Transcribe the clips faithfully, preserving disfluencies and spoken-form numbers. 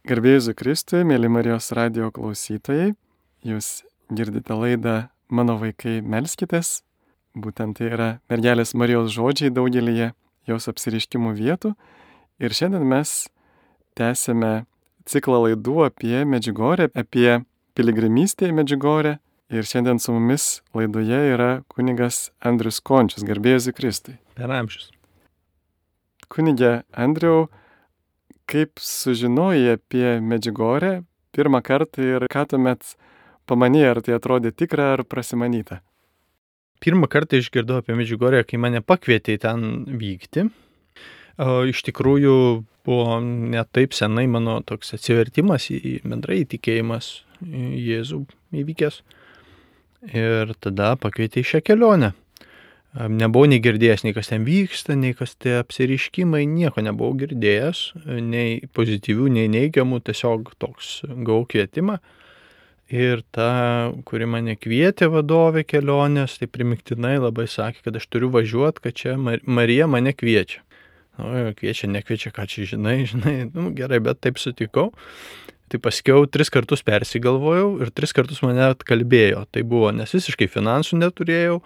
Garbė Jėzui Kristui, mėly Marijos radijo klausytojai, jūs girdite laidą Mano vaikai melskitės. Būtent tai yra mergelės Marijos žodžiai daugelyje jos apsireiškimų vietų. Ir šiandien mes tęsime ciklą laidų apie Medžiugorję, apie piligrimystę į Medžiugorję. Ir šiandien su mumis laidoje yra kunigas Andrius Končius. Garbė Jėzui Kristui. Per amžius. Kunige Andriau, kaip sužinojai apie Medžiugorję pirmą kartą ir ką tuomet pamanėjai, ar tai atrodė tikra ar prasimanyta? Pirmą kartą išgirdau apie Medžiugorję, kai mane pakvietė ten vykti. O, iš tikrųjų buvo ne taip senai mano toks atsivertimas į bendrai įtikėjimas į Jėzų įvykęs. Ir tada pakvietė į šią kelionę. Nebuvau nei girdėjęs, nei kas ten vyksta, nei kas tie apsireiškimai, nieko nebuvau girdėjęs, nei pozityvių, nei neigiamų, tiesiog toks gavau kvietimą. Ir ta, kuri mane kvietė vadovė kelionės, tai primiktinai labai sakė, kad aš turiu važiuoti, kad čia Marija mane kviečia. Nu, kviečia, nekviečia, ką čia žinai, žinai, nu gerai, bet taip sutikau. Tai paskiau tris kartus persigalvojau ir tris kartus mane atkalbėjo. Tai buvo, nes visiškai finansų neturėjau,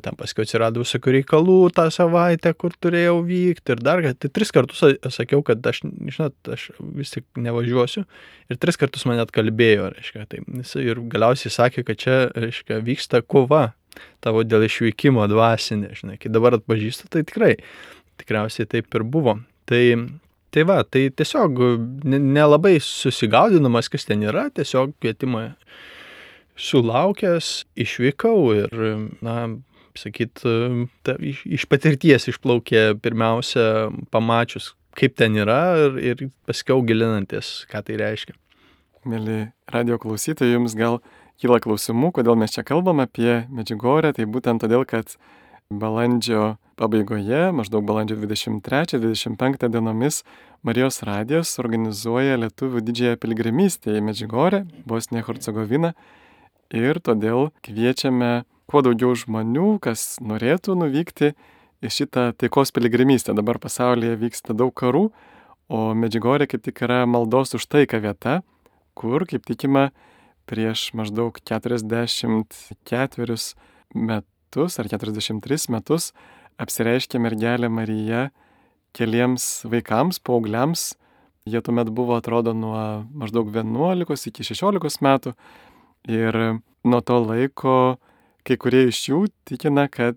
tam paskiau atsirado visokių reikalų tą savaitę, kur turėjau vykti ir dar, tai tris kartus sakiau, kad aš, žinot, aš vis tik nevažiuosiu ir tris kartus mane atkalbėjo, reiškia, tai jis ir galiausiai sakė, kad čia, reiškia, vyksta kova tavo dėl išvykimo dvasinė, žinai, kai dabar atpažįstu, tai tikrai, tikriausiai taip ir buvo. Tai Tai va, tai tiesiog nelabai susigaudinamas, kas ten yra, tiesiog kvietimą sulaukęs, išvykau ir, na, sakyt, ta, iš, iš patirties išplaukė pirmiausia pamačius, kaip ten yra ir, ir paskiau gilinantis, ką tai reiškia. Mėly radio klausytojai, jums gal kyla klausimų, kodėl mes čia kalbam apie Medžiugorję, tai būtent todėl, kad balandžio pabaigoje, maždaug balandžio dvidešimt trečią dvidešimt penktą dienomis, Marijos radijas organizuoja lietuvių didžiąją piligrimystę į Medžiugorję, Bosniją Hercegoviną, ir todėl kviečiame kuo daugiau žmonių, kas norėtų nuvykti į šitą taikos piligrimystę. Dabar pasaulyje vyksta daug karų, o Medžiugorė kaip tik yra maldos už taiką vieta, kur, kaip tikima, prieš maždaug keturiasdešimt ketverius metus ar keturiasdešimt tris metus apsireiškė mergelė Marija keliems vaikams, paaugliams. Jie tuomet buvo, atrodo, nuo maždaug vienuolikos iki šešiolikos metų. Ir nuo to laiko kai kurie iš jų tikina, kad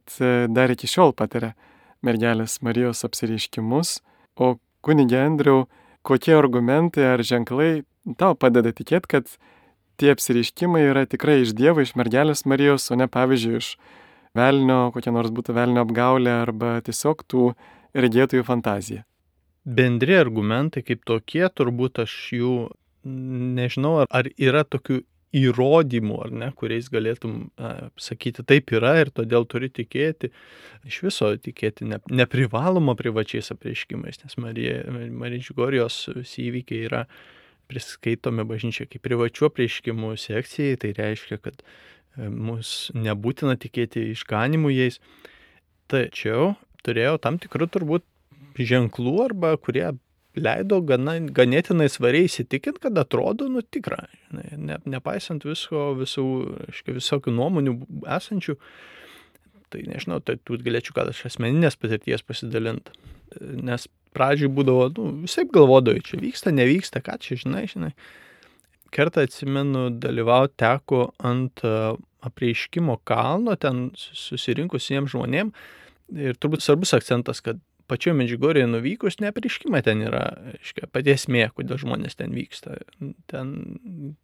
dar iki šiol patiria mergelės Marijos apsireiškimus. O kunige Andriau, kokie argumentai ar ženklai tau padeda tikėti, kad tie apsireiškimai yra tikrai iš Dievo, iš mergelės Marijos, o ne pavyzdžiui iš velnio, kokia nors būtų velnio apgaulė arba tiesiog tų regėtojų fantazija? Bendri argumentai kaip tokie, turbūt aš jų nežinau, ar, ar yra tokių įrodymų, ar ne, kuriais galėtum a, sakyti, taip yra ir todėl turi tikėti. Iš viso tikėti ne, neprivaloma privačiais apreiškimais, nes Marija, Medžiugorijos visi įvykiai yra priskaitomi bažnyčiai kaip privačių apreiškimų sekcijai, tai reiškia, kad mus nebūtina tikėti išganimų jais. Tačiau turėjau tam tikrų turbūt ženklų, arba kurie leido gana, ganėtinai svariai įsitikinti, kad atrodo nu tikra. Ne, nepaisant visko, visų, aiškiai, visokių nuomonių esančių, tai nežinau, tai tu galėčiau gal iš asmeninės patirties pasidalinti. Nes pradžioj būdavo, nu, visaip galvodavai, čia vyksta, nevyksta, ką čia žinai, žinai. Kartą atsimenu, dalyvauti teko ant apreiškimo kalno, ten susirinkusiems žmonėm. Ir turbūt svarbus akcentas, kad pačioje Medžiugorėje nuvykus, ne apreiškimai ten yra, aiškia, pati esmė, kodėl žmonės ten vyksta. Ten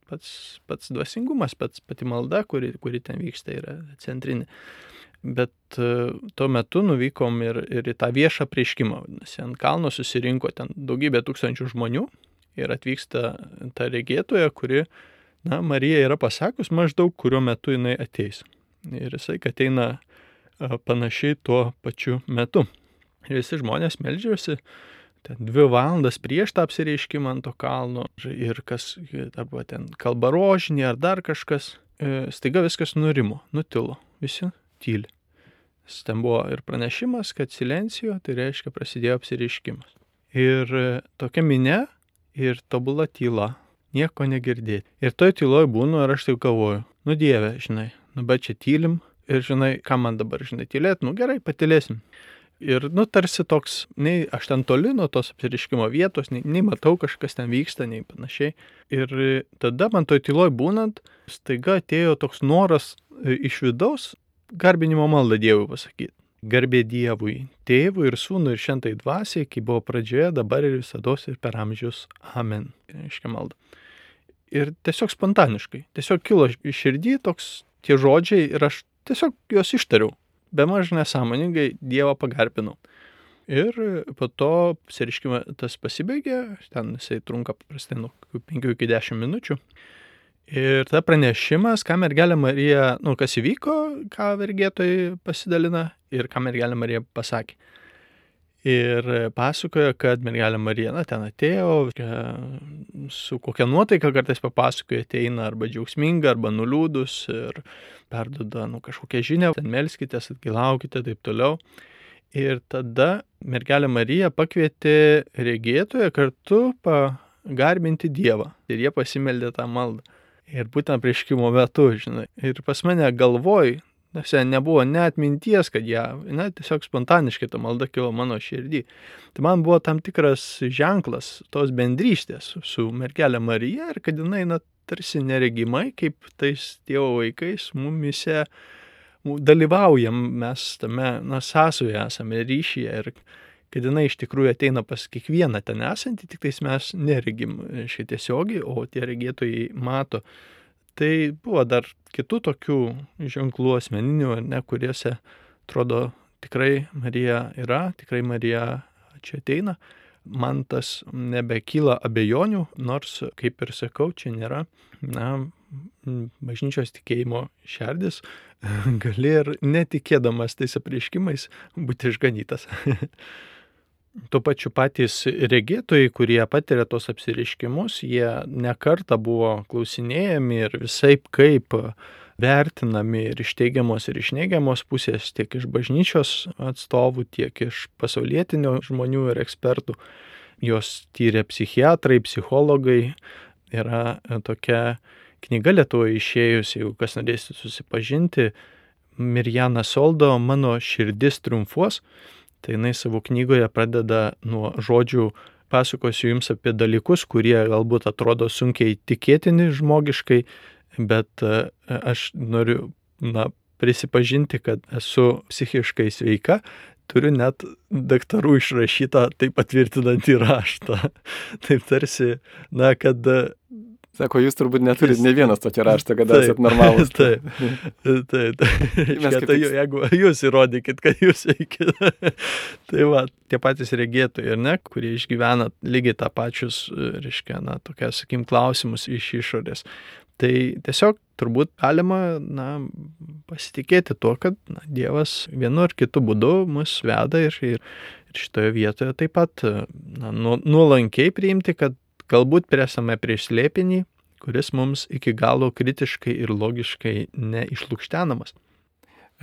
pats, pats dvasingumas, pats pati malda, kuri, kuri ten vyksta, yra centrinė. Bet tuo metu nuvykom ir, ir į tą viešą apreiškimą. Ant kalno susirinko ten daugybė tūkstančių žmonių. Ir atvyksta ta regėtoja, kuri, na, Marija yra pasakus maždaug, kuriuo metu jinai ateis. Ir jisai ateina panašiai tuo pačiu metu. Ir visi žmonės meldžiasi ten dvi valandas prieš tą apsireiškimą ant to kalno. Ir kas, arba ten kalba rožinį ar dar kažkas, staiga viskas nurimo, nutilo, visi tyli. Ten buvo ir pranešimas, kad silencijo, tai reiškia prasidėjo apsireiškimas. Ir tokia minia ir tobula tyla, nieko negirdėti. Ir toj tyloj būnu ir aš taip galvoju, nu Dieve, žinai, nu bet čia tylim ir žinai, ką man dabar, žinai, tylėt, nu gerai, patylėsim. Ir, nu, tarsi toks, nei aš ten toli nuo tos apsiriškimo vietos, nei, nei matau kažkas ten vyksta, nei panašiai. Ir tada man toj tyloj būnant, staiga atėjo toks noras iš vidaus garbinimo maldą Dievui pasakyti. Garbė Dievui, Tėvui ir Sūnui ir Šventai Dvasiai, kai buvo pradžioje, dabar ir visados ir per amžius. Amen. Reiškia malda. Ir tiesiog spontaniškai, tiesiog kilo iš širdį toks tie žodžiai ir aš tiesiog juos ištariau. Bemaž nesąmoningai Dievą pagarbinau. Ir po to apsiriškime tas pasibaigė, ten jisai trunka paprastai nuo penkių iki dešimt minučių. Ir tada pranešimas, ką mergelė Marija, nu kas įvyko, ką vergėtojai pasidalina ir ką mergelė Marija pasakė. Ir pasakojo, kad mergelė Marija, na, ten atėjo, su kokia nuotaika kartais papasakoja, ateina arba džiaugsminga, arba nuliūdus ir perduoda, nu, kažkokią žinią, ten melskitės, atgailaukite, taip toliau. Ir tada mergelė Marija pakvietė regėtoją kartu pagarbinti Dievą. Ir jie pasimeldė tą maldą. Ir būtent prieškimo metu, žinai. Ir pas mane galvoj, nes nebuvo net minties, kad ją, na, tiesiog spontaniškai ta malda kilo mano širdį. Tai man buvo tam tikras ženklas tos bendrystės su mergelė Marija ir kad jinai, na, tarsi neregimai, kaip tais Dievo vaikais mumise dalyvaujam mes tame, na, sąsoje esame ryšyje ir kad jinai iš tikrųjų ateina pas kiekvieną ten esantį, tik tais mes neregim šiai tiesiogiai, o tie regėtojai mato. Tai buvo dar kitų tokių ženklų asmeninių, ne, kuriuose atrodo tikrai Marija yra, tikrai Marija čia ateina. Man tas nebekyla abejonių, nors, kaip ir sakau, čia nėra, na, bažnyčios tikėjimo šerdis, gali ir netikėdamas tais apreiškimais būti išganytas. Tuo pačiu patys regėtojai, kurie patiria tos apsireiškimus, jie nekartą buvo klausinėjami ir visaip kaip vertinami ir iš teigiamos ir iš neigiamos pusės, tiek iš bažnyčios atstovų, tiek iš pasaulietinio žmonių ir ekspertų. Jos tyrė psichiatrai, psichologai. Yra tokia knyga Lietuvoje išėjusi, jeigu kas norėsite susipažinti, Mirjana Soldo "Mano širdis triumfuos". Tai jinai savo knygoje pradeda nuo žodžių, pasakosiu jums apie dalykus, kurie galbūt atrodo sunkiai tikėtini žmogiškai, bet aš noriu, na, prisipažinti, kad esu psichiškai sveika, turiu net daktarų išrašytą tai patvirtinantį raštą. Taip tarsi, na, kad... Sako, jūs turbūt neturit ne vienas tokį raštą, kad esat normalus. Taip, taip, taip. Tai jeigu jūs įrodykit, kad jūs veikit. Tai va, tie patys regėtojai, ne, kurie išgyvena lygiai tą pačius, reiškia, na, tokia, sakykim, klausimus iš išorės. Tai tiesiog turbūt galima, na, pasitikėti tuo, kad na, Dievas vienu ar kitu būdu mus veda ir, ir, ir šitoje vietoje taip pat na, nuolankiai priimti, kad galbūt presame prieš slėpinį, kuris mums iki galo kritiškai ir logiškai neišlukštenamas.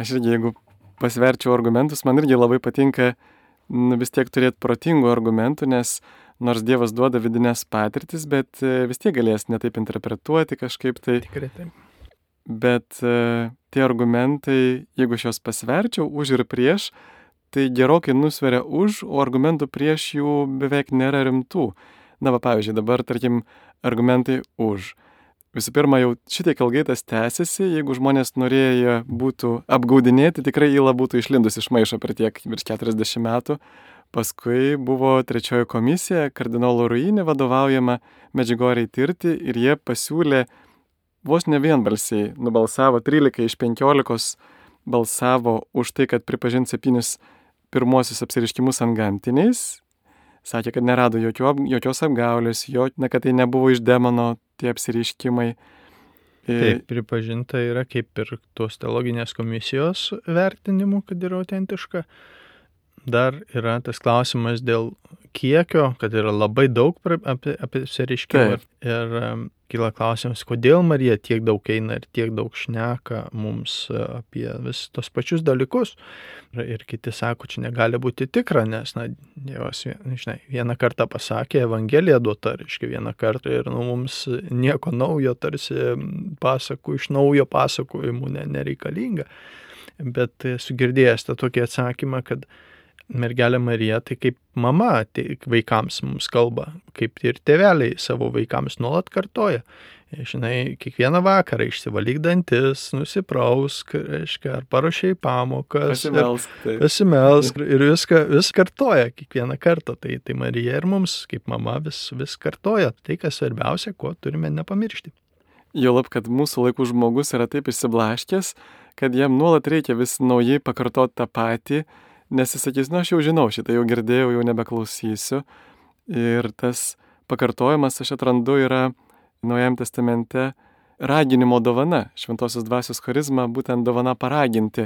Aš irgi, jeigu pasverčiau argumentus, man irgi labai patinka nu, vis tiek turėti protingų argumentų, nes nors Dievas duoda vidinės patirtis, bet vis tiek galės netaip interpretuoti kažkaip tai. Tikrai taip. Bet tie argumentai, jeigu aš juos pasverčiau už ir prieš, tai gerokai nusveria už, o argumentų prieš jų beveik nėra rimtų. Na, va, pavyzdžiui, dabar, tarkim, argumentai už. Visų pirma, jau šitiek ilgai tas tęsiasi, jeigu žmonės norėjo būtų apgaudinėti, tikrai įla būtų išlindus iš maišo per tiek virš keturiasdešimt metų. Paskui buvo trečioji komisija, kardinolo Ruini vadovaujama Medžiugorjei tirti ir jie pasiūlė vos ne vienbalsiai, nubalsavo trylika iš penkiolikos balsavo už tai, kad pripažint septynis pirmosius apsireiškimus antgamtiniais. Sakė, kad nerado jokio, jokios apgaulės, jo, ne, kad tai nebuvo iš demono tie apsireiškimai. Taip, pripažinta yra kaip ir tos teologinės komisijos vertinimu, kad yra autentiška. dar yra tas klausimas dėl kiekio, kad yra labai daug apie, apie apsireiškimą. Ir, ir um, kyla klausimas, kodėl Marija tiek daug eina ir tiek daug šneka mums apie vis tos pačius dalykus. Ir, ir kiti sako, čia negali būti tikra, nes, na, Dievas, žinai, vieną kartą pasakė, Evangelija duota, reiškia vieną kartą ir nu, mums nieko naujo, tarsi pasakų iš naujo pasakojimų ne, nereikalinga. Bet esu girdėjęs tą tokį atsakymą, kad mergelė Marija tai kaip mama tai vaikams mums kalba, kaip ir tėveliai savo vaikams nuolat kartoja. Žinai, kiekvieną vakarą išsivalyk dantis, nusiprausk, reiškia, ar paruošiai pamokas, pasimelsk, tai. pasimelsk ir viską vis kartoja kiekvieną kartą. Tai, tai Marija ir mums kaip mama vis, vis kartoja. Tai, kas svarbiausia, ko turime nepamiršti. Juolab, kad mūsų laikų žmogus yra taip išsiblaškęs, kad jam nuolat reikia vis naujai pakartoti tą patį, nes jis sakys, nu aš jau žinau šitą, jau girdėjau, jau nebeklausysiu. Ir tas pakartojimas, aš atrandu, yra Naujajame testamente raginimo dovana, šventosios dvasios charizma, būtent dovana paraginti.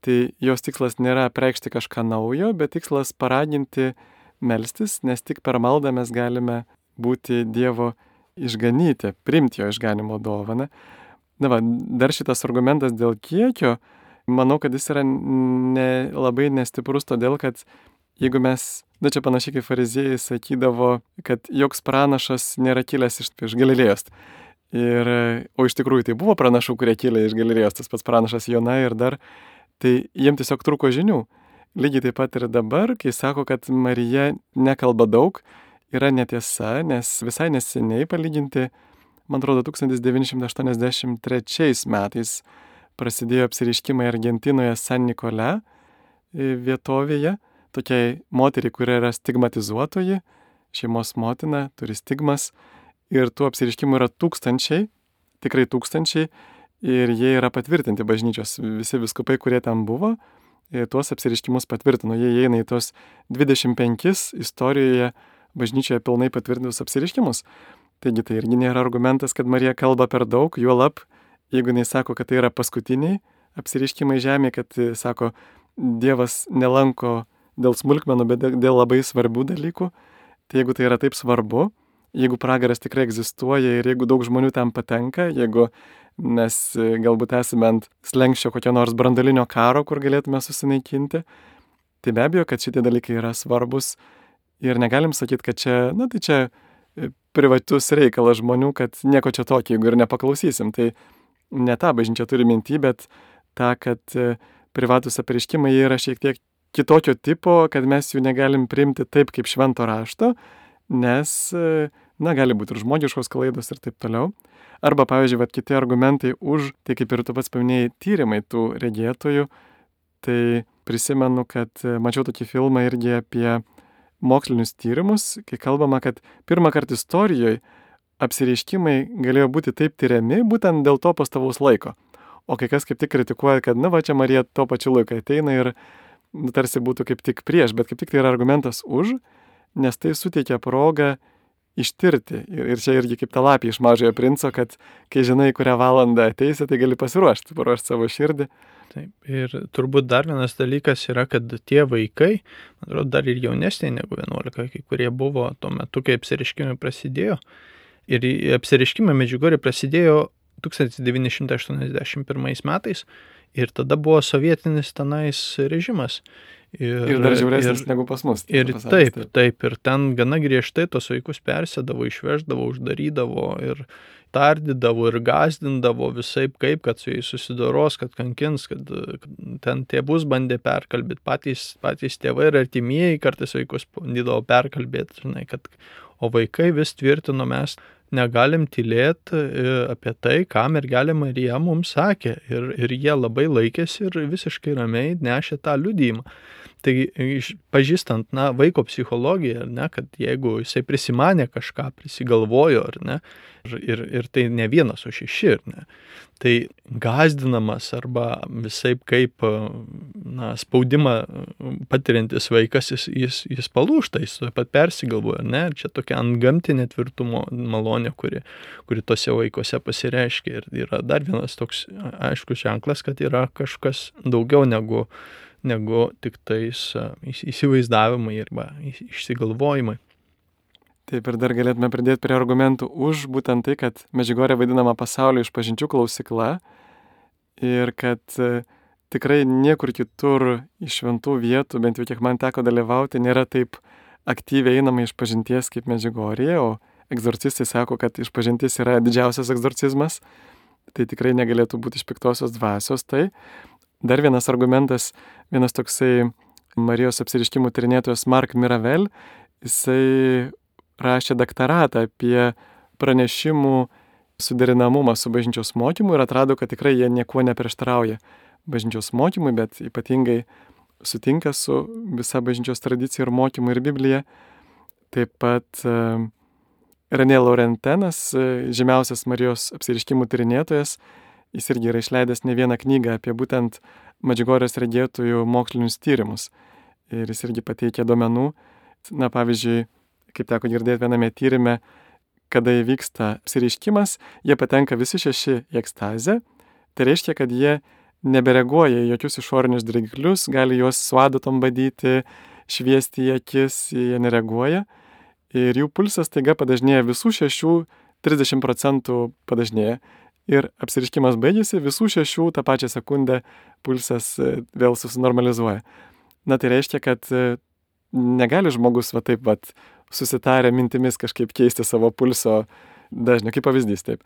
Tai jos tikslas nėra apreikšti kažką naujo, bet tikslas paraginti melstis, nes tik per maldą mes galime būti Dievo išganyti, priimti jo išganimo dovaną. Na va, dar šitas argumentas dėl kiekio, manau, kad jis yra ne, labai nestiprus, todėl kad jeigu mes, na čia panašiai kaip fariziejai sakydavo, kad joks pranašas nėra kilęs iš, iš Galilėjos. Ir, o iš tikrųjų tai buvo pranašų, kurie kilė iš Galilėjos, tas pats pranašas Jona ir dar, tai jiem tiesiog trūko žinių. Lygiai taip pat ir dabar, kai sako, kad Marija nekalba daug, yra netiesa, nes visai neseniai palyginti, man atrodo, tūkstantis devyni šimtai aštuoniasdešimt trečiais metais prasidėjo apsireiškimai Argentinoje San Nikole vietovėje, tokiai moteriai, kuri yra stigmatizuotoji, šeimos motina, turi stigmas, ir tų apsireiškimų yra tūkstančiai, tikrai tūkstančiai, ir jie yra patvirtinti bažnyčios, visi vyskupai, kurie ten buvo, tuos apsireiškimus patvirtino, jie įeina į tos dvidešimt penkis istorijoje bažnyčioje pilnai patvirtintus apsireiškimus. Taigi tai irgi nėra argumentas, kad Marija kalba per daug, juolab, jeigu jinai sako, kad tai yra paskutiniai apsireiškimai žemėje, kad, sako, Dievas nelanko dėl smulkmenų, bet dėl labai svarbių dalykų, tai jeigu tai yra taip svarbu, jeigu pragaras tikrai egzistuoja ir jeigu daug žmonių ten patenka, jeigu mes galbūt esame ant slenkščio kokio nors branduolinio karo, kur galėtume susinaikinti, tai be abejo, kad šitie dalykai yra svarbus ir negalim sakyti, kad čia, na tai čia privatus reikalas žmonių, kad nieko čia tokio, jeigu ir nepaklausysim. Tai ne tą bažnyčia turi minty, bet tą, kad privatus apreiškimai yra šiek tiek kitokio tipo, kad mes jų negalim priimti taip kaip švento rašto, nes, na, gali būti ir žmogiškos klaidos ir taip toliau. Arba, pavyzdžiui, vat, kiti argumentai už, tai kaip ir tu pats paminėjai, tyrimai tų regėtojų, tai prisimenu, kad mačiau tokį filmą irgi apie mokslinius tyrimus, kai kalbama, kad pirmą kartą istorijoje apsireiškimai galėjo būti taip tyriami būtent dėl to pastovaus laiko. O kai kas kaip tik kritikuoja, kad, na va, čia Marija tuo pačiu laiku ateina ir nu, tarsi būtų kaip tik prieš, bet kaip tik tai yra argumentas už, nes tai suteikia progą ištirti. Ir, ir čia irgi kaip ta lapė iš Mažojo princo, kad kai žinai, kurią valandą ateisi, tai gali pasiruošti, paruošti savo širdį. Taip, ir turbūt dar vienas dalykas yra, kad tie vaikai, man atrodo, dar ir jaunesniai negu vienuolika, kai kurie buvo tuo metu, kai apsireiškimai prasidėjo. Ir apsireiškimai Medžiugorje prasidėjo tūkstantis devyni šimtai aštuoniasdešimt pirmais metais ir tada buvo sovietinis tenais režimas. Ir, ir dar žiauresnis negu pas mus. Ir pasakys, taip, taip, taip, ir ten gana griežtai tos vaikus persėdavo, išveždavo, uždarydavo ir tardydavo ir gazdindavo visaip kaip, kad su jais susidoros, kad kankins, kad, kad ten tėvus bandė perkalbėti, patys, patys tėvai ir artimieji kartais vaikus bandydavo perkalbėti, žinai, kad, o vaikai vis tvirtino, mes negalim tylėti apie tai, ką mergelė Marija mums sakė. Ir, ir jie labai laikėsi ir visiškai ramiai nešė tą liudijimą. Taigi, pažįstant, na, vaiko psichologiją, ar ne, kad jeigu jisai prisimanė kažką, prisigalvojo, ar ne, ir, ir, ir tai ne vienas, o šeši, ar ne, tai gazdinamas arba visaip kaip, na, spaudimą patiriantis vaikas, jis, jis, jis palūžta, jis taip pat persigalvoja, ne, ir čia tokia antgamtinė tvirtumo malonė, kuri, kuri tose vaikuose pasireiškia. Ir yra dar vienas toks aiškus ženklas, kad yra kažkas daugiau negu negu tik tais įsivaizdavimai arba išsigalvojimai. Taip, ir dar galėtume pridėti prie argumentų už būtent tai, kad Medžiugorė vadinama pasaulio išpažinčių klausykla ir kad tikrai niekur kitur iš šventų vietų, bent jau kiek man teko dalyvauti, nėra taip aktyviai einama išpažinties kaip Medžiugorėje, o egzorcistai sako, kad išpažintis yra didžiausias egzorcizmas, tai tikrai negalėtų būti iš piktosios dvasios. Tai dar vienas argumentas, vienas toksai Marijos apsireiškimų tyrinėtojas Mark Miravel, jisai rašė daktaratą apie pranešimų suderinamumą su bažnyčios mokymu ir atrado, kad tikrai jie niekuo neprieštarauja bažnyčios mokymui, bet ypatingai sutinka su visa bažnyčios tradicija ir mokymu ir Biblija. Taip pat uh, René Laurentenas, žymiausias Marijos apsireiškimų tyrinėtojas, jis irgi yra išleidęs ne vieną knygą apie būtent Medžiugorės regėtojų mokslinius tyrimus. Ir jis irgi pateikė duomenų, na pavyzdžiui, kaip teko girdėti viename tyrime, kada įvyksta apsireiškimas, jie patenka visi šeši į ekstazę. Tai reiškia, kad jie nebereaguoja į jokius išorinius dirgiklius, gali juos su adatom badyti, šviesti į akis, jie nereaguoja. Ir jų pulsas taiga padažnėja visų šešių, trisdešimt procentų padažnėja. Ir apsireiškimas baigėsi, visų šešių tą pačią sekundę pulsas vėl susinormalizuoja. Na tai reiškia, kad negali žmogus va taip va susitarę mintimis kažkaip keisti savo pulso dažnį, kaip pavyzdys taip.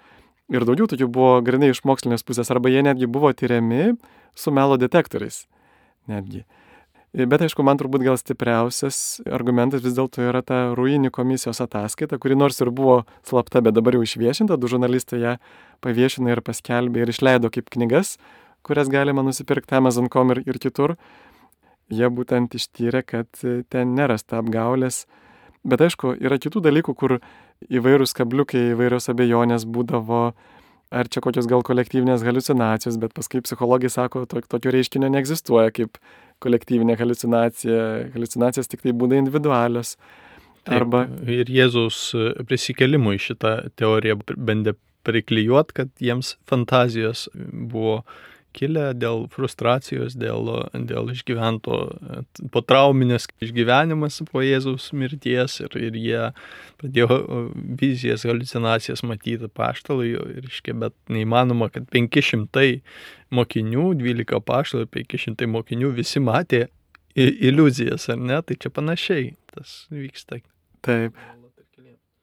Ir daugiau tokių buvo grinai iš mokslinės pusės, arba jie netgi buvo tyriami su melo detektoriais. Netgi. Bet aišku, man turbūt gal stipriausias argumentas vis dėlto yra ta Ruini komisijos ataskaita, kuri nors ir buvo slapta, bet dabar jau išviešinta, du žurnalistai ją paviešino ir paskelbė ir išleido kaip knygas, kurias galima nusipirkti Amazon dot com ir, ir kitur. Jie būtent ištyrė, kad ten nerasta apgaulės. Bet aišku, yra kitų dalykų, kur įvairūs kabliukai, įvairios abejonės būdavo, ar čia kokios gal kolektyvinės haliucinacijos, bet paskui psichologai sako, to, tokio reiškinio neegzistuoja kaip kolektyvinė haliucinacija. Haliucinacijos tik tai būna individualios. Arba... Taip, ir Jėzaus prisikėlimui šitą teoriją bandė priklijuot, kad jiems fantazijos buvo kilę dėl frustracijos, dėl, dėl išgyvento potrauminės išgyvenimas po Jėzaus mirties ir, ir jie pradėjo vizijas, haliucinacijas matyti apaštalai, reiškia, bet neįmanoma, kad penki šimtai mokinių, dvylika apaštalų ir penki šimtai mokinių visi matė iliuzijas, ar ne? Tai čia panašiai tas vyksta. Taip.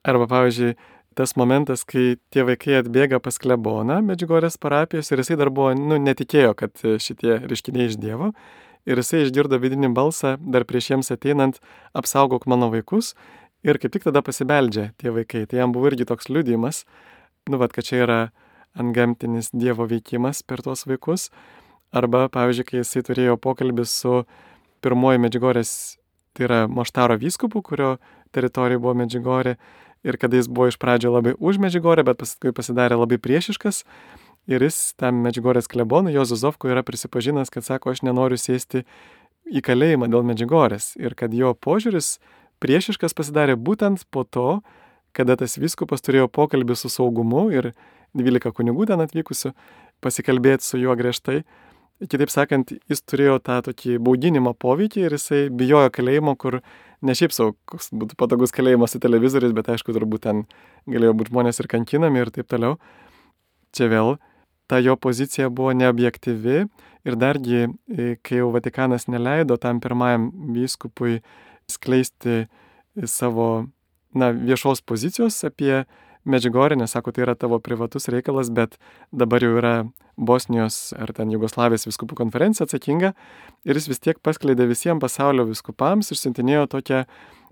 Arba pavyzdžiui, tas momentas, kai tie vaikai atbėga pas kleboną Medžiugorės parapijos ir jisai dar buvo, nu, netikėjo, kad šitie reiškiniai iš Dievo ir jisai išgirdo vidinį balsą dar prieš jiems ateinant, apsaugok mano vaikus ir kaip tik tada pasibeldžia tie vaikai. Tai jam buvo irgi toks liudijimas, nu, vat, kad čia yra antgamtinis Dievo veikimas per tuos vaikus. Arba, pavyzdžiui, kai jisai turėjo pokalbį su pirmoji Medžiugorės, tai yra Moštaro vyskupu, kurio teritorija buvo Medžiugorė, ir kada jis buvo iš pradžio labai už Medžiugorę, bet paskui pasidarė labai priešiškas. Ir jis tam Medžiugorės klebonui, Juozu Zovku, yra prisipažinęs, kad sako, aš nenoriu sėsti į kalėjimą dėl Medžiugorės. Ir kad jo požiūris priešiškas pasidarė būtent po to, kada tas vyskupas turėjo pokalbį su saugumu ir dvylika kunigų ten atvykusių pasikalbėti su juo griežtai. Kitaip sakant, jis turėjo tą tokį bauginimo poveikį ir jisai bijojo kalėjimo, kur ne šiaip savo, koks būtų patogus kalėjimas su televizoriais, bet aišku, turbūt ten galėjo būti žmonės ir kankinami ir taip toliau. Čia vėl ta jo pozicija buvo neobjektyvi ir dargi, kai jau Vatikanas neleido tam pirmajam vyskupui skleisti savo, na, viešos pozicijos apie Medžiugorė, nes sako, tai yra tavo privatus reikalas, bet dabar jau yra Bosnijos ar ten Jugoslavijos vyskupų konferencija atsakinga ir jis vis tiek paskleidė visiems pasaulio vyskupams ir siuntinėjo tokią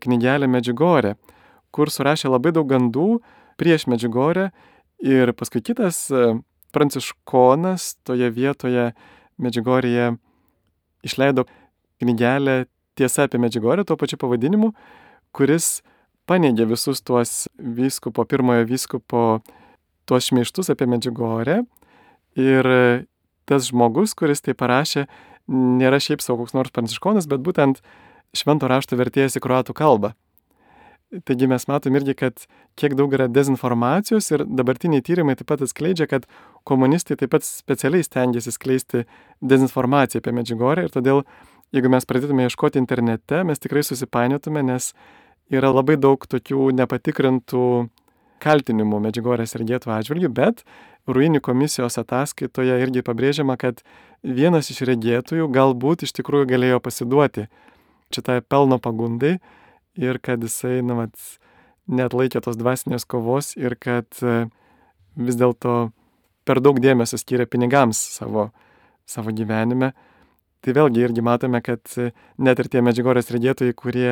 knygelę Medžiugorė, kur surašė labai daug gandų prieš Medžiugorę ir paskui kitas pranciškonas toje vietoje Medžiugorėje išleido knygelę Tiesa apie Medžiugorę tuo pačiu pavadinimu, kuris paneigė visus tuos vyskupo, pirmojo vyskupo tuos šmeižtus apie Medžiugorę ir tas žmogus, kuris tai parašė, nėra šiaip savo koks nors pranciškonas, bet būtent švento rašto vertėjas į kroatų kalbą. Taigi mes matom irgi, kad kiek daug yra dezinformacijos ir dabartiniai tyrimai taip pat atskleidžia, kad komunistai taip pat specialiai stengiasi skleisti dezinformaciją apie Medžiugorę ir todėl jeigu mes pradėtume ieškoti internete, mes tikrai susipainiotume, nes yra labai daug tokių nepatikrintų kaltinimų Medžiugorės regėtojų atžvilgių, bet Ruini komisijos ataskaitoje irgi pabrėžiama, kad vienas iš regėtojų galbūt iš tikrųjų galėjo pasiduoti šitai pelno pagundai ir kad jisai, na, vat, neatlaikė tos dvasinės kovos ir kad vis dėlto per daug dėmesio skyrė pinigams savo, savo gyvenime. Tai vėlgi irgi matome, kad net ir tie Medžiugorės regėtojai, kurie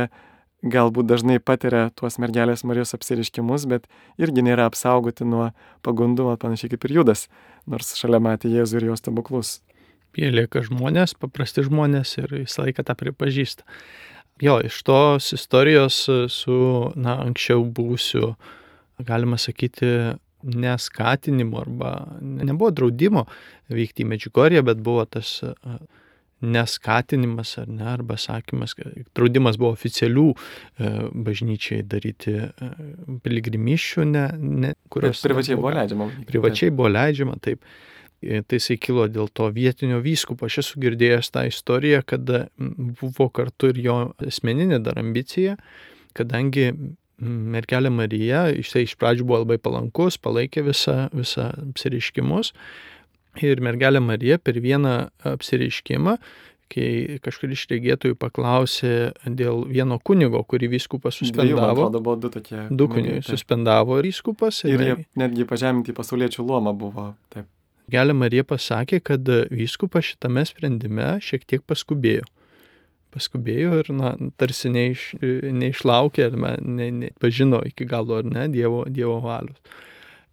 galbūt dažnai patiria tuos mergelės Marijos apsireiškimus, bet irgi nėra apsaugoti nuo pagundų, panašiai kaip ir Judas, nors šalia matė Jėzų ir jo stebuklus. Jie lieka žmonės, paprasti žmonės ir visą laiką tą pripažįsta. Jo, iš tos istorijos su, na, anksčiau buvusiu, galima sakyti, neskatinimu arba nebuvo draudimo vykti į Medžiugorję, bet buvo tas neskatinimas ar ne, arba sakymas, draudimas buvo oficialių e, bažnyčiai daryti e, piligrimysčių, ne, ne, kurios... Bet privačiai buvo leidžiama. Privačiai buvo leidžiama, taip. E, tai jisai kilo dėl to vietinio vyskupo. Aš esu girdėjęs tą istoriją, kad buvo kartu ir jo asmeninė dar ambicija, kadangi mergelė Marija, jisai iš pradžių buvo labai palankus, palaikė visą, visą apsireiškimus. Ir mergelė Marija per vieną apsireiškimą, kai kažkur iš regėtojų paklausė dėl vieno kunigo, kurį vyskupas suspendavo. Dviejų, buvo du tokie. Du kunigai suspendavo vyskupas. Ir, ir jie netgi pažeminti pasauliečių luomą buvo. Taip. Mergelė Marija pasakė, kad vyskupas šitame sprendime šiek tiek paskubėjo. Paskubėjo ir, na, tarsi neiš, neišlaukė, ar ne, ne, pažino iki galo, ar ne, Dievo, dievo valios.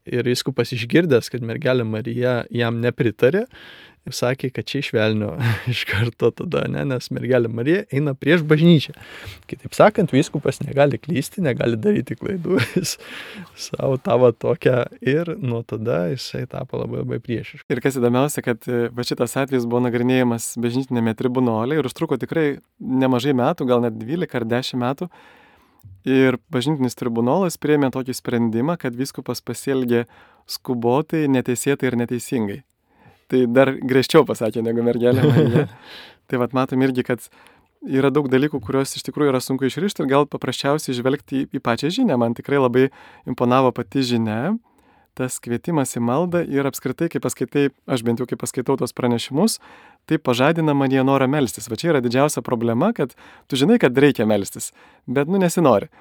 Ir vyskupas išgirdęs, kad mergelė Marija jam nepritarė, ir sakė, kad čia išvelnio iš karto tada, ne, nes mergelė Marija eina prieš bažnyčią. Kitaip sakant, vyskupas negali klysti, negali daryti klaidų, jis savo tavo tokią ir nuo tada jisai tapo labai labai priešiškas. Ir kas įdomiausia, kad va šitas atvejis buvo nagrinėjamas bažnytinėme tribunole ir užtruko tikrai nemažai metų, gal net dvylika ar dešimt metų. Ir bažnytinis tribunolas priėmė tokį sprendimą, kad vyskupas pasielgė skubotai, neteisėtai ir neteisingai. Tai dar griežčiau pasakė negu mergelė Marija. Tai vat matom irgi, kad yra daug dalykų, kuriuos iš tikrųjų yra sunku išrišti ir gal paprasčiausiai žvelgti į, į pačią žinią. Man tikrai labai imponavo pati žinia, tas kvietimas į maldą ir apskritai, kai paskaitai, aš bent jau kai paskaitau tos pranešimus, tai pažadina man jie norą melstis. Va čia yra didžiausia problema, kad tu žinai, kad reikia melstis, bet nu nesinori.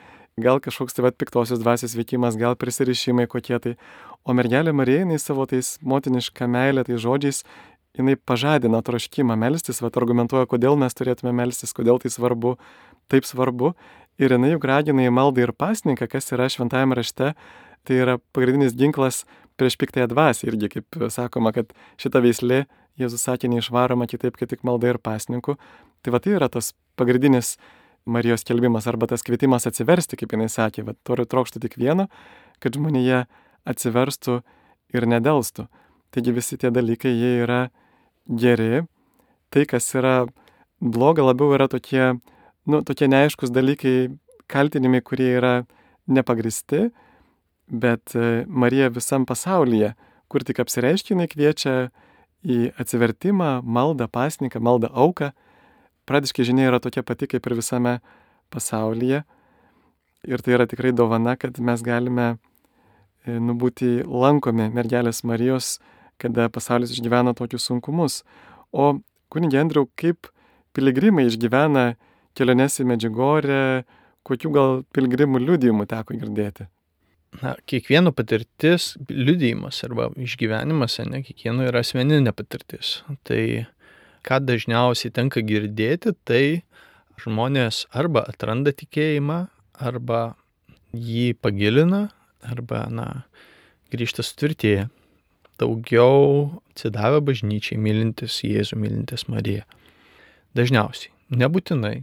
Gal kažkoks tai vat piktosios dvasios veikimas, gal prisirišimai kokie tai. O mergelė Marija, jinai savo tais motinišką meilę, tai žodžiais, jinai pažadina troškimą melstis, vat argumentuoja, kodėl mes turėtume melstis, kodėl tai svarbu, taip svarbu. Ir jinai juk ragina į maldą ir pasninką, kas yra šventajame rašte. Tai yra pagrindinis ginklas prieš piktąją dvasią. Irgi, kaip sakoma, kad šita veislė, Jėzus sakė, neišvaroma kitaip, kaip tik malda ir pasninku. Tai va tai yra tas pagrindinis Marijos skelbimas arba tas kvietimas atsiversti, kaip jinai sakė. Va turiu trokštų tik vieno, kad žmonėje atsiverstų ir nedelstų. Taigi visi tie dalykai, jie yra geri. Tai, kas yra bloga, labiau yra tokie, nu, tokie neaiškus dalykai, kaltinimai, kurie yra nepagristi. Bet Marija visam pasaulyje, kur tik apsireiškia, jinai kviečia į atsivertimą, maldą, pasninką, maldą auką. Pradiškai žinia yra tokia pati kaip ir visame pasaulyje. Ir tai yra tikrai dovana, kad mes galime nu, būti lankomi mergelės Marijos, kada pasaulis išgyvena tokius sunkumus. O kunige Andriau, kaip piligrimai išgyvena keliones į Medžiugorę, kokių gal piligrimų liudijimų teko girdėti? Na, kiekvieno patirtis, liudijimas arba išgyvenimas, ne, kiekvieno yra asmeninė patirtis. Tai ką dažniausiai tenka girdėti, tai žmonės arba atranda tikėjimą, arba jį pagilina, arba, na, grįžta sutvirtėję. Daugiau atsidavę bažnyčiai, mylintis Jėzų, mylintis Mariją. Dažniausiai, nebūtinai.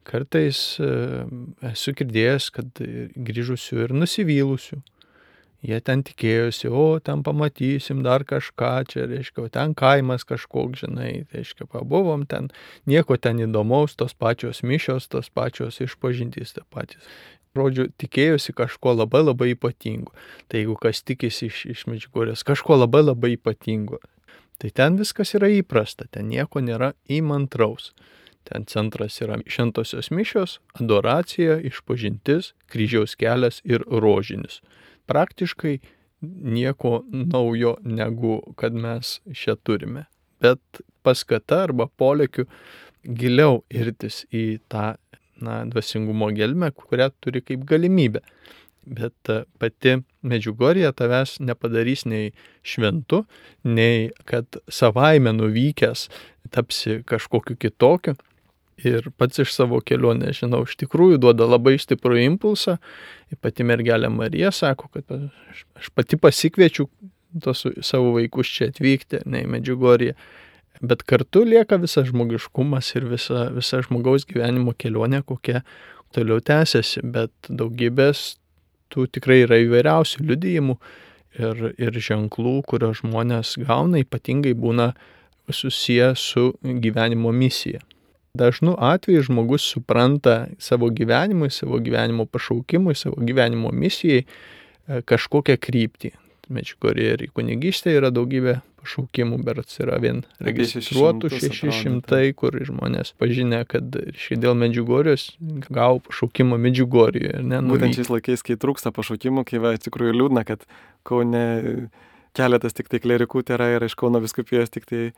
Kartais esu girdėjęs, kad grįžusių ir nusivylusių. Jie ten tikėjosi, o ten pamatysim dar kažką, čia, reiškia, ten kaimas kažkoks, žinai, reiškia, pabuvom ten, nieko ten įdomaus, tos pačios mišios, tos pačios išpažintys, tie patys. Žodžiu, tikėjosi kažko labai labai ypatingo. Tai jeigu kas tikisi iš, iš Medžiugorės, kažko labai labai ypatingo, tai ten viskas yra įprasta, ten nieko nėra įmantraus. Ten centras yra šventosios mišios, adoracija, išpažintis, kryžiaus kelias ir rožinis. Praktiškai nieko naujo negu kad mes čia turime. Bet paskata arba polėkiu giliau irtis į tą na, dvasingumo gelmę, kurią turi kaip galimybę. Bet pati Medžiugorjė tavęs nepadarys nei šventu, nei kad savaime nuvykęs tapsi kažkokiu kitokiu. Ir pats iš savo kelionės, žinau, iš tikrųjų duoda labai stiprų impulsą. Ir pati mergelė Marija sako, kad aš pati pasikviečiu tos savo vaikus čia atvykti, ne į Medžiugorję. Bet kartu lieka visas žmogiškumas ir visa, visa žmogaus gyvenimo kelionė, kokia toliau tęsiasi. Bet daugybės tų tikrai yra įvairiausių liudijimų ir, ir ženklų, kurios žmonės gauna, ypatingai būna susiję su gyvenimo misija. Dažnu atveju žmogus supranta savo gyvenimui, savo gyvenimo pašaukimui, savo gyvenimo misijai kažkokią kryptį. Medžiugorjė ir į kunigystę yra daugybė pašaukimų, berods yra vien registruotų šeši šimtai, kur žmonės pažinę, kad dėl Medžiugorjės gavo pašaukimą Medžiugorjėje. Būtent šiais laikais, kai trūksta pašaukimų, kai va, tikrųjų liūdna, kad Kaune keletas tik tai klerikų yra ir iš Kauno vyskupijos tik tai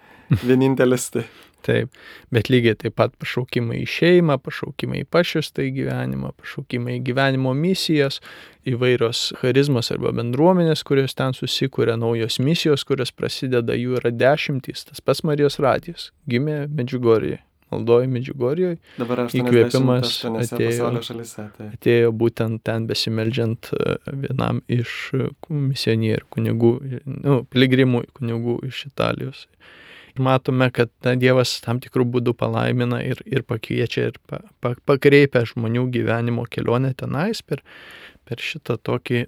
vienintelis. Tai. Taip, bet lygiai taip pat pašaukimai į šeimą, pašaukimai į pašvestą į gyvenimą, pašaukimai į gyvenimo misijas, įvairios charizmos arba bendruomenės, kurios ten susikuria, naujos misijos, kurios prasideda, jų yra dešimtys. Tas pats Marijos radijas gimė Medžiugorjėje, maldojo Medžiugorjėje. Dabar įkvėpimas atėjo, šalyse, tai. atėjo būtent ten besimeldžiant vienam iš misionierių kunigų, nu, piligrimų kunigų iš Italijos. Ir matome, kad na, Dievas tam tikrų būdų palaimina ir, ir pakviečia ir pa, pa, pakreipia žmonių gyvenimo kelionę tenais per, per šitą tokį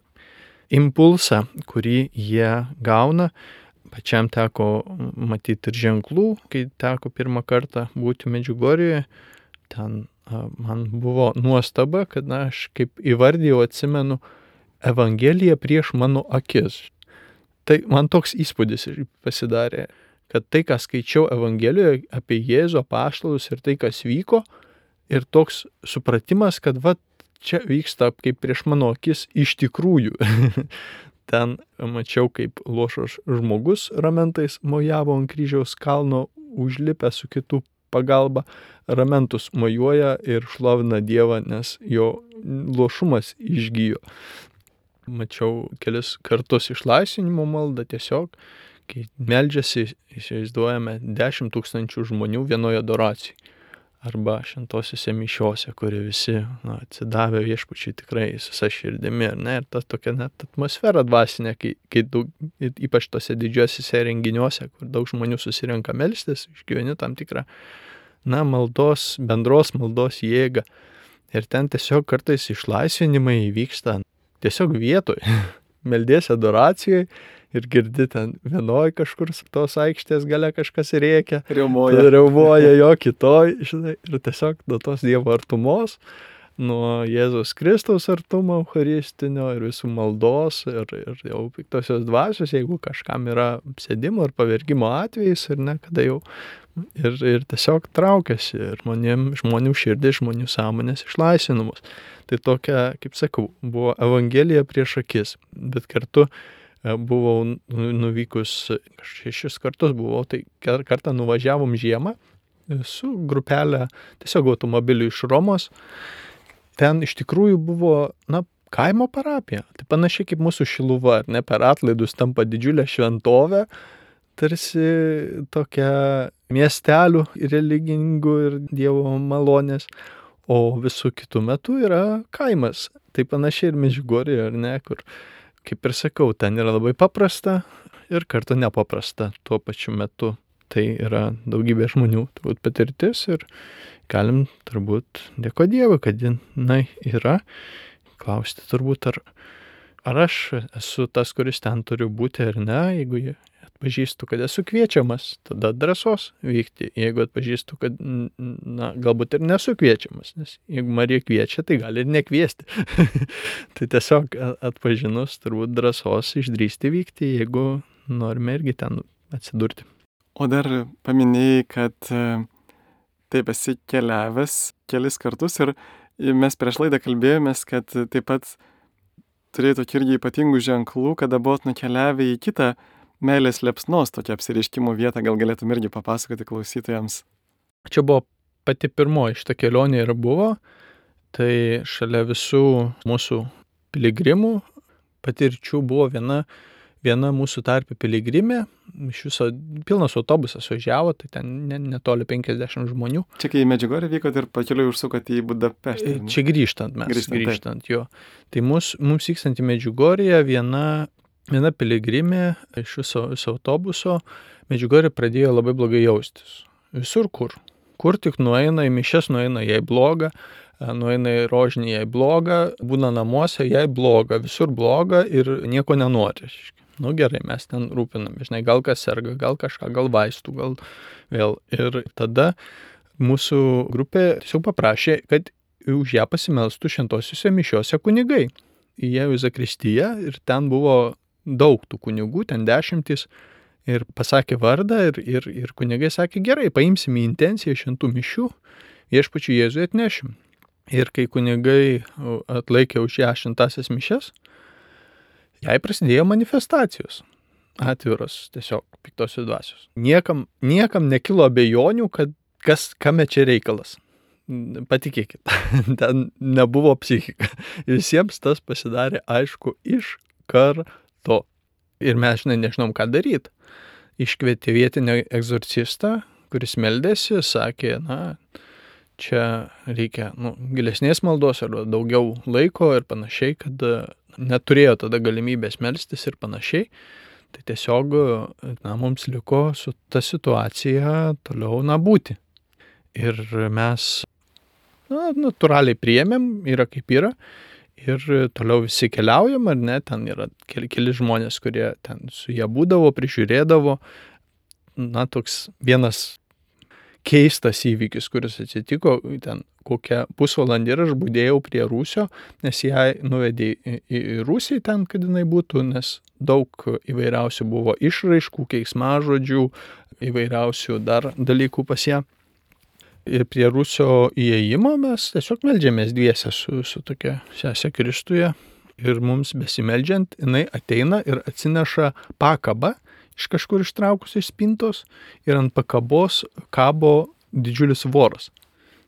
impulsą, kurį jie gauna. Pačiam teko matyti ir ženklų, kai teko pirmą kartą būti Medžiugorjėje. Ten a, man buvo nuostaba, kad na, aš kaip įvardijau, atsimenu Evangeliją prieš mano akis. Tai man toks įspūdis pasidarė, kad tai, ką skaičiau Evangelijoje apie Jėzų apaštalus ir tai, kas vyko, ir toks supratimas, kad va, čia vyksta kaip prieš mano akis iš tikrųjų. Ten mačiau, kaip luošas žmogus ramentais mojavo ant kryžiaus kalno, užlipę su kitų pagalba, ramentus mojuoja ir šlovina Dievą, nes jo luošumas išgijo. Mačiau kelis kartus išlaisvinimo maldą tiesiog, kai meldžiasi, įsivaizduojame, dešimt tūkstančių žmonių vienoje adoracijai. Arba šventosiuose mišiose, kurie visi na, atsidavę viešpačiui tikrai visa širdimi. Ne? Ir ta tokia net atmosfera dvasinė, kai, kai daug, ypač tose didžiuosiuose renginiuose, kur daug žmonių susirenka melstis, išgyveni tam tikrą na, maldos, bendros maldos jėgą. Ir ten tiesiog kartais išlaisvinimai įvyksta tiesiog vietoj. Meldiesi adoracijai ir girdi ten vienoj kažkur tos aikštės gale kažkas rėkia. Riaumoja. Riaumoja jo kitoj, žinai, ir tiesiog nuo tos Dievo artumos, nuo Jėzaus Kristaus artumo eucharistinio ir visų maldos ir, ir jau piktosios dvasios, jeigu kažkam yra sėdimo ir pavergimo atvejais ir ne, kada jau ir, ir tiesiog traukiasi ir žmonėm, žmonių širdis, žmonių sąmonės išlaisvinamos. Tai tokia, kaip sakau, buvo Evangelija prieš akis, bet kartu buvau nuvykus, šešis kartus buvau, tai kartą nuvažiavom žiemą su grupelė tiesiog automobiliu iš Romos. Ten iš tikrųjų buvo, na, kaimo parapija. Tai panašiai kaip mūsų Šiluva, ar ne, per atlaidus tampa didžiulė šventovė, tarsi tokia miestelių religingų ir Dievo malonės, o visų kitų metų yra kaimas. Tai panašiai ir Medžiugorjė, ar ne, kur, kaip ir sakau, ten yra labai paprasta ir kartu nepaprasta tuo pačiu metu. Tai yra daugybė žmonių turbūt patirtis ir galim turbūt dėko Dievui, kad jinai yra. Klausti turbūt, ar, ar aš esu tas, kuris ten turiu būti ar ne. Jeigu atpažįstu, kad esu kviečiamas, tada drąsos vykti. Jeigu atpažįstu, kad na, galbūt ir nesu kviečiamas, nes jeigu Marija kviečia, tai gali ir nekviesti. Tai tiesiog atpažinus turbūt drąsos išdrįsti vykti, jeigu norime irgi ten atsidurti. O dar paminėjai, kad taip esi keliavęs kelis kartus ir mes prieš laidą kalbėjomės, kad taip pat turėjai tokį irgi ypatingų ženklų, kada buvot nukeliavę į kitą meilės liepsnos tokią apsireiškimo vietą, gal galėtum irgi papasakoti klausytojams. Čia buvo pati pirmoji šita kelionė ir buvo, tai šalia visų mūsų piligrimų patirčių buvo viena, viena mūsų tarpe piligrimė, iš viso pilnas autobusas važiavo, tai ten netoli penkiasdešimt žmonių. Čia kai į Medžiugorję vykot ir pakeliui užsukot į Budapeštą. Čia grįžtant mes, grįžtant, grįžtant jo. Tai mus, mums vykstant į Medžiugorję viena, viena piligrimė iš viso, viso autobuso Medžiugorję pradėjo labai blogai jaustis. Visur kur. Kur tik nueina, į mišias nueina, jai bloga, nueina į rožinį, jai bloga, būna namuose, jai bloga, visur bloga ir nieko nenori. Nu gerai, mes ten rūpinam, žinai, gal kas serga, gal kažką, gal vaistų, gal vėl. Ir tada mūsų grupė tiesiog paprašė, kad už ją pasimelstų šventosiuose mišiuose kunigai. Įėjo į zakristiją ir ten buvo daug tų kunigų, ten dešimtys, ir pasakė vardą ir, ir, ir kunigai sakė, gerai, paimsim į intenciją šventų mišių, viešpačiui Jėzui atnešim. Ir kai kunigai atlaikė už ją šventąsias mišias, jai prasidėjo manifestacijos, atviros tiesiog piktosios dvasios. Niekam, niekam nekilo abejonių, kad kas, kame čia reikalas. Patikėkit, ten nebuvo psichika. Visiems tas pasidarė aišku iš karto. Ir mes, žinai, nežinom, ką daryti. Iškvietė vietinį egzorcistą, kuris meldėsi, sakė, na, čia reikia nu, gilesnės maldos ar daugiau laiko ir panašiai, kad neturėjo tada galimybės melstis ir panašiai. Tai tiesiog, na, mums liko su ta situacija toliau, na, būti. Ir mes, na, natūraliai priėmėm, yra kaip yra. Ir toliau visi keliaujam, ar ne, ten yra keli, keli žmonės, kurie ten su jie būdavo, prižiūrėdavo. Na, toks vienas keistas įvykis, kuris atsitiko, ten kokią pusvalandį ir aš būdėjau prie Rūsio, nes ją nuvedė į, į, į Rūsį ten, kad jinai būtų, nes daug įvairiausių buvo išraiškų, keiksmažodžių, įvairiausių dar dalykų pas ją. Ir prie Rūsio įėjimo mes tiesiog meldžiamės dviese su, su tokia sesė Kristuje ir mums besimeldžiant, jinai ateina ir atsineša pakabą iš kažkur ištraukus iš spintos ir ant pakabos kabo didžiulis voras.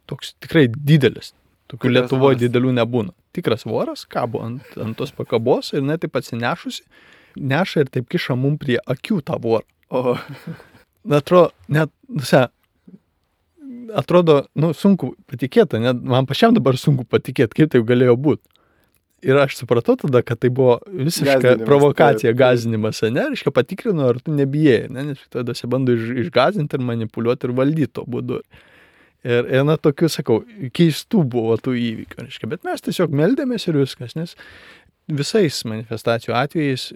Toks tikrai didelis. Tokių Lietuvoje didelių nebūna. Tikras voras kabo ant, ant tos pakabos ir net taip atsinešusi, neša ir taip kiša mum prie akių tą vorą. O, atrodo, net, nusia, atrodo, nu, sunku patikėti, net man pačiam dabar sunku patikėti, kaip taip galėjo būti. Ir aš supratau tada, kad tai buvo visiška gazinimas, provokacija, tai, gazinimas, ne, reiškia patikrino, ar tu nebijai, ne, nes tada se bando iš, išgazinti ir manipuliuoti ir valdyti to būdu. Ir, ir na, tokių, sakau, keistų buvo tų įvykių, reiškia, bet mes tiesiog meldėmės ir viskas, nes visais manifestacijų atvejais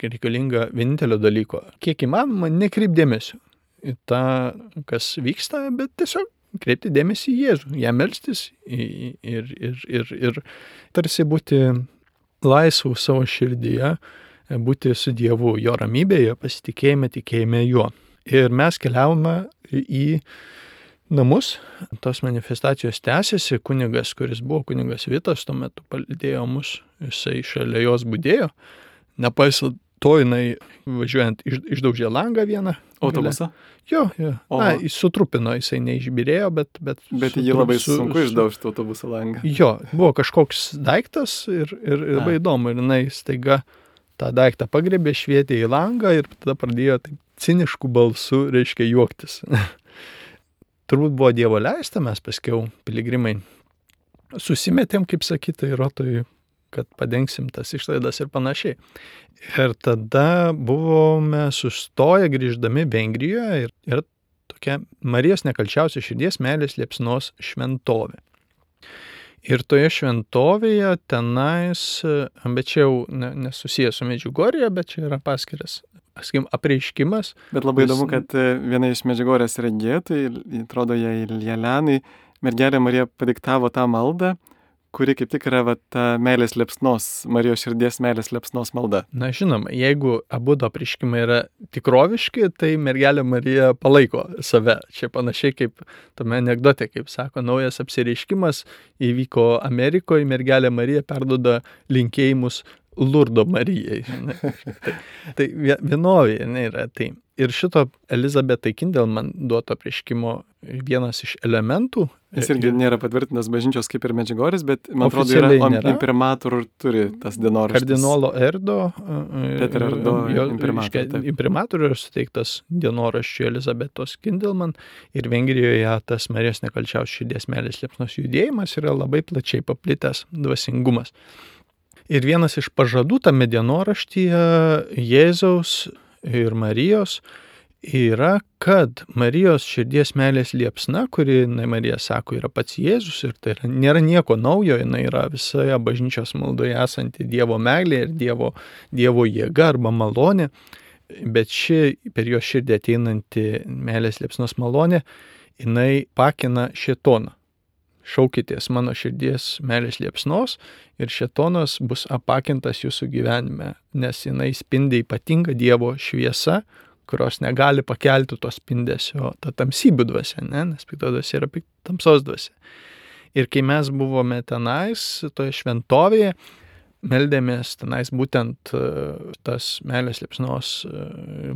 reikalinga vienintelio dalyko, kiek įmanoma, nekreipdėmėsiu į tą, kas vyksta, bet tiesiog kreipti dėmesį į Jėzų, ją melstis ir, ir, ir, ir tarsi būti laisvų savo širdyje, būti su Dievu, jo ramybėje, pasitikėjime, tikėjime juo. Ir mes keliavome į namus, tos manifestacijos tęsiasi, kunigas, kuris buvo kunigas Vitas, tuo metu palydėjo mus, jisai šalia jos budėjo, nepaisant to jinai važiuojant iš, išdaužė langą vieną. Autobusą? Jo, jo. O. Na, jis sutrupino, jisai neišbirėjo, bet... Bet, bet jį labai su, sunku su, išdaužti autobuso langą. Jo, buvo kažkoks daiktas ir, ir, ir labai įdomu. Ir jinai staiga tą daiktą pagrebė, švietė į langą ir tada pradėjo taip ciniškų balsų, reiškia, juoktis. Turbūt buvo Dievo leista, mes paskiau piligrimai susimetėm, kaip sakyta, Rotoj, kad padengsim tas išlaidas ir panašiai. Ir tada buvome sustoję grįždami Vengrijoje ir, ir tokia Marijos nekalčiausios širdies meilės liepsnos šventovė. Ir toje šventovėje tenais, bet čia jau nesusijęs su Medžiugorje, bet čia yra paskiras, sakykim, apreiškimas. Bet labai įdomu, kad viena iš Medžiugorės regėtojų, atrodo, jai Jelenai, mergelė Marija padiktavo tą maldą, kuri kaip tik yra va, ta meilės liepsnos, Marijos širdies meilės liepsnos malda. Na žinoma, jeigu abu do apreiškimai yra tikroviški, tai mergelė Marija palaiko save. Čia panašiai kaip tame anekdote, kaip sako, naujas apsireiškimas įvyko Amerikoje, mergelė Marija perduoda linkėjimus Lurdo Marijai. tai tai vienovė yra tai. Ir šito Elizabetai Kindelman duoto apreiškimo vienas iš elementų. Jis irgi nėra patvirtintas bažnyčios kaip ir Medžiugoris, bet man atrodo yra imprimatur turi tas dienoraštis. Kardinolo Erdo, Peter Erdo imprimatur. Imprimatur yra suteiktas dienoraščių Elizabetos Kindelman ir Vengrijoje tas Marijos nekalčiaus širdies meilės liepsnos judėjimas yra labai plačiai paplitęs dvasingumas. Ir vienas iš pažadų tame dienoraštyje Jėzaus ir Marijos yra, kad Marijos širdies meilės liepsna, kuri, na, Marija sako, yra pats Jėzus ir tai yra, nėra nieko naujo, jinai yra visoje bažnyčios maldoje esanti Dievo meilė ir Dievo, Dievo jėga arba malonė, bet ši per jo širdį ateinanti meilės liepsnos malonė, jinai pakina šėtoną. Šaukitės mano širdies meilės liepsnos ir šėtonas bus apakintas jūsų gyvenime, nes jinai spindi ypatinga Dievo šviesa, kurios negali pakelti to spindesio, ta tamsybių dvasia, ne? Nes pikta dvasia yra tamsos dvasia. Ir kai mes buvome tenais, toje šventovėje, meldėmės tenais būtent tas meilės liepsnos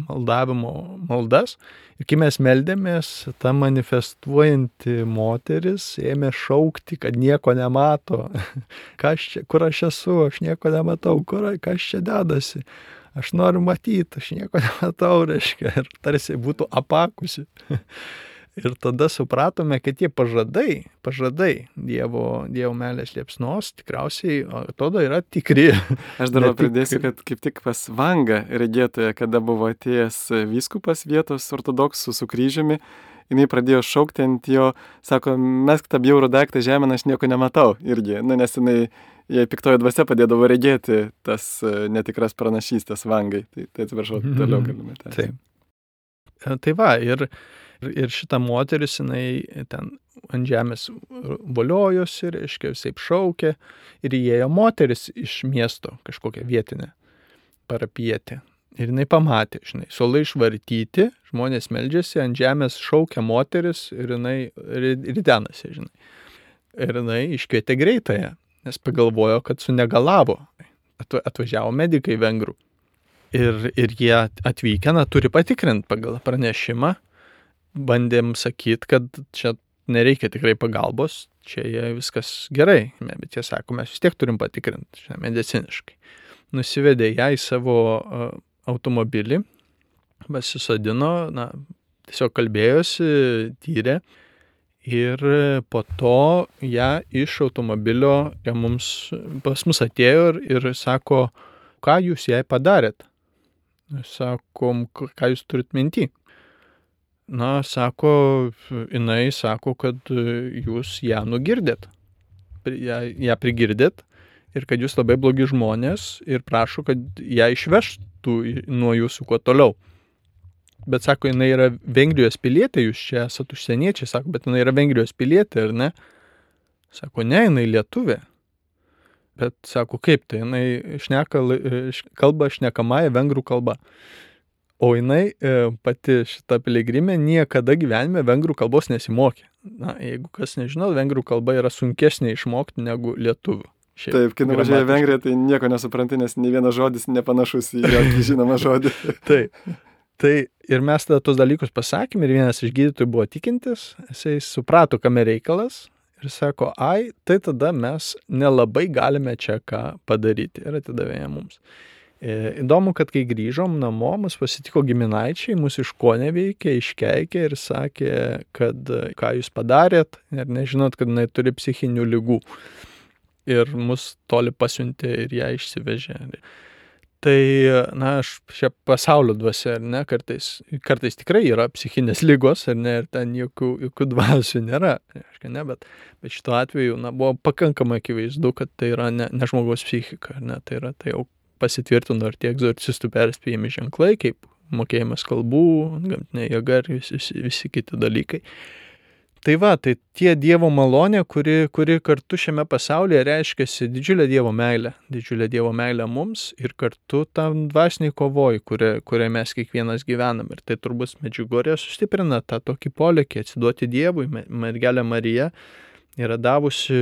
maldavimo maldas. Ir kai mes meldėmės, ta manifestuojanti moteris ėmė šaukti, kad nieko nemato. Kas čia, kur aš esu, aš nieko nematau, kur, kas čia dedasi. Aš noriu matyti, aš nieko nematau, reiškia, ir tarsi būtų apakusi. Ir tada supratome, kad tie pažadai, pažadai Dievo, Dievo meilės liepsnos tikriausiai, atrodo, yra tikri. Aš dar pridėsiu, kad kaip tik pas Vangą regėtoje, kada buvo atėjęs vyskupas vietos ortodoksų su kryžiumi, jinai pradėjo šaukti ant jo, sako, mesk tą bjaurų daiktą žemę, aš nieko nematau irgi, nu, nes jinai, jai piktoji dvasia padėdavo regėti tas netikras pranašystės Vangai. Tai, tai atsiprašau, toliau galime tęsti. Taip. Tai va, ir Ir šita moteris, jinai ten ant žemės voliojosi, reiškia, visaip šaukė, ir įėjo moteris iš miesto, kažkokią vietinę parapietę. Ir jinai pamatė, žinai, suolai išvartyti, žmonės meldžiasi, ant žemės šaukia moteris ir jinai ridenasi, žinai. Ir jinai iškvietė greitąją, nes pagalvojo, kad sunegalavo. Atvažiavo medikai vengrų. Ir, ir jie atvykę, na, turi patikrinti pagal pranešimą. Bandėm sakyti, kad čia nereikia tikrai pagalbos, čia jie viskas gerai, bet jie sako, mes vis tiek turim patikrinti, čia mediciniškai. Nusivedė ją į savo uh, automobilį, pasisodino, na, tiesiog kalbėjosi, tyrė ir po to ją iš automobilio ją mums, pas mus atėjo ir, ir sako, ką jūs jai padarėt? Sakom, ką jūs turit minty? Na, sako, jinai sako, kad jūs ją nugirdėt, ją, ją prigirdėt ir kad jūs labai blogi žmonės ir prašo, kad ją išvežtų nuo jūsų kuo toliau. Bet sako, jinai yra Vengrijos pilietė, jūs čia esat užsieniečiai, sako, bet jinai yra Vengrijos pilietė, ar ne? Sako, ne, jinai lietuvė. Bet sako, kaip tai, jinai šneka, kalba šnekamąją vengrų kalba. O jinai pati šita piligrimė niekada gyvenime vengrų kalbos nesimokė. Na, jeigu kas nežinau, vengrų kalba yra sunkesnė išmokti negu lietuvių. Šiaip, taip, kai nuvažiuoja Vengrija, tai nieko nesupranti, nes nei vienas žodis nepanašus į jokį žinomą žodį. Taip. Tai ir mes tada tos dalykus pasakėm ir vienas iš gydytojų buvo tikintis, jisai suprato, kame reikalas ir sako, ai, tai tada mes nelabai galime čia ką padaryti ir atidavė ją mums. Įdomu, kad kai grįžom namo, mus pasitiko giminaičiai, mus iškoneveikė, iškeikė ir sakė, kad ką jūs padarėt ir nežinot, kad jinai turi psichinių ligų. Ir mus toli pasiuntė ir ją išsivežė. Tai, na, aš šią pasaulio dvasia, ar ne, kartais, kartais tikrai yra psichinės ligos, ar ne, ir ten jokių, jokių dvasių nėra, aiškia, ne, bet, bet šituo atveju, na, buvo pakankamai akivaizdu, kad tai yra ne, ne žmogaus psichika, ar ne, tai yra, tai jau pasitvirtino ir tie egzorcistų perspėjami ženklai, kaip mokėjimas kalbų, gamtinė jėga ir visi, visi kiti dalykai. Tai va, tai tie Dievo malonė, kuri, kuri kartu šiame pasaulyje reiškiasi didžiulė Dievo meilė, didžiulė Dievo meilė mums ir kartu tam dvasiniai kovoj, kuria, kuria mes kiekvienas gyvenam. Ir tai turbūt Medžiugorje sustiprina tą tokį polėkį atsiduoti Dievui. Mergelė Marija yra davusi,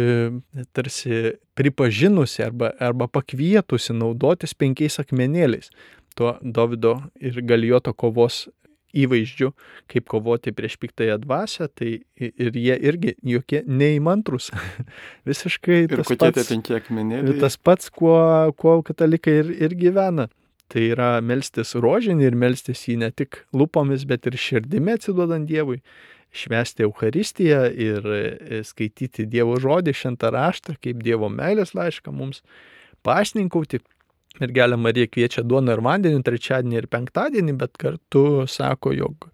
tarsi pripažinusi arba, arba pakvietusi naudotis penkiais akmenėliais. Tuo Dovydo ir Galijoto kovos įvaizdžių, kaip kovoti prieš piktąją dvasią, tai ir jie irgi jokie neįmantrus. Visiškai ir tas kokie pats, tie penki akmenėliai? Tas pats, kuo, kuo katalikai ir, ir gyvena. Tai yra melstis rožinį ir melstis jį ne tik lūpomis, bet ir širdimi atsiduodant Dievui, švęsti Eucharistiją ir skaityti Dievo žodį, šventą raštą, kaip Dievo meilės laišką mums, pasninkauti. Mergelė Marija kviečia duoną ir vandenį trečiadienį ir penktadienį, bet kartu sako, jog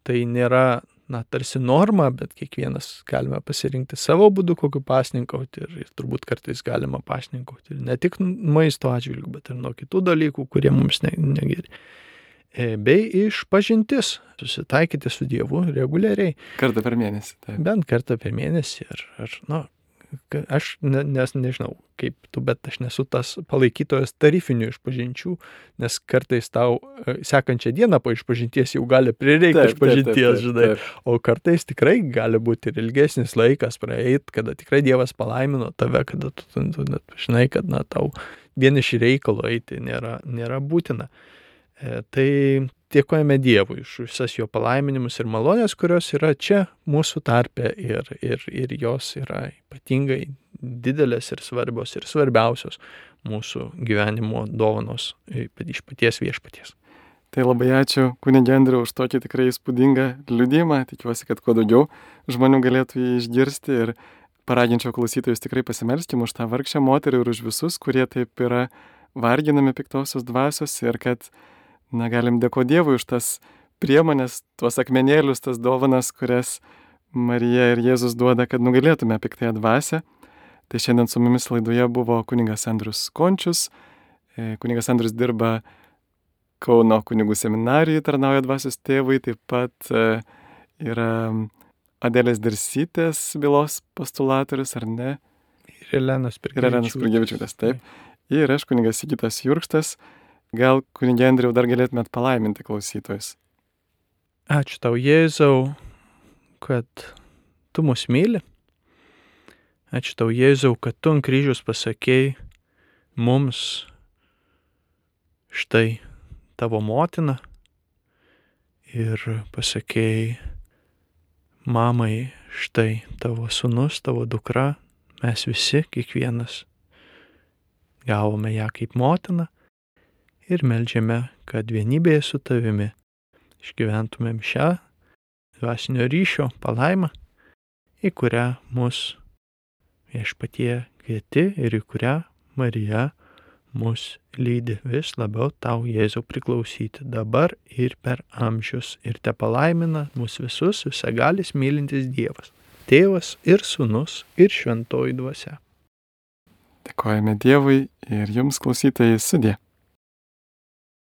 tai nėra, na, tarsi norma, bet kiekvienas galime pasirinkti savo būdu, kokiu pasninkauti ir, ir turbūt kartais galima pasninkauti ne tik maisto atžvilgių, bet ir nuo kitų dalykų, kurie mums ne, negeri. Bei išpažintis, susitaikyti su Dievu reguliariai. Kartą per mėnesį. Taip. Bent kartą per mėnesį ir, ir na, aš ne, nes nežinau, kaip tu, bet aš nesu tas palaikytojas tarifinių išpažinčių, nes kartais tau sekančią dieną po išpažinties jau gali prireikti išpažinties, žinai, o kartais tikrai gali būti ir ilgesnis laikas praeit, kada tikrai Dievas palaimino tave, kada tu, tu, tu net žinai, kad na, tau vien iš reikalo eiti nėra, nėra būtina. E, tai dėkojame Dievui už visas jo palaiminimus ir malonės, kurios yra čia mūsų tarpe ir, ir, ir jos yra ypatingai didelės ir svarbios ir svarbiausios mūsų gyvenimo dovanos iš paties viešpaties. Tai labai ačiū kunige Andriau už tokį tikrai įspūdingą liudijimą. Tikiuosi, kad kuo daugiau žmonių galėtų jį išgirsti ir paraginčiau klausytojus tikrai pasimelsti už tą vargšę moterį ir už visus, kurie taip yra varginami piktosios dvasios ir kad na, galim dėkoti Dievui už tas priemonės, tuos akmenėlius, tas dovanas, kurias Marija ir Jėzus duoda, kad nugalėtume piktąją dvasią. Tai šiandien su mumis laidoje buvo kunigas Andrius Končius. Kunigas Andrius dirba Kauno kunigų seminarijai, tarnauja dvasios tėvui, taip pat yra Adelės Dirsytės bylos postulatorius, ar ne? Ir Elenos Spirgevičiūtės, taip. Ir aš kunigas Sigitas Jurkštas. Gal, kunige Andriau, dar galėtumėt palaiminti klausytojus. Ačiū tau, Jėzau, kad tu mus myli. Ačiū tau, Jėzau, kad tu ant kryžiaus pasakei mums štai tavo motina ir pasakei mamai štai tavo sūnus, tavo dukra. Mes visi, kiekvienas, gavome ją kaip motiną. Ir meldžiame, kad vienybėje su tavimi išgyventumėm šią dvasinio ryšio palaimą, į kurią mus viešpatie kvieti ir į kurią Marija mus lydi vis labiau tau, Jėzau, priklausyti dabar ir per amžius. Ir te palaimina mus visus visagalis mylintis Dievas, Tėvas ir Sūnus ir Šventoji Dvasia. Dėkojame Dievui ir jums, klausytojai, sudie.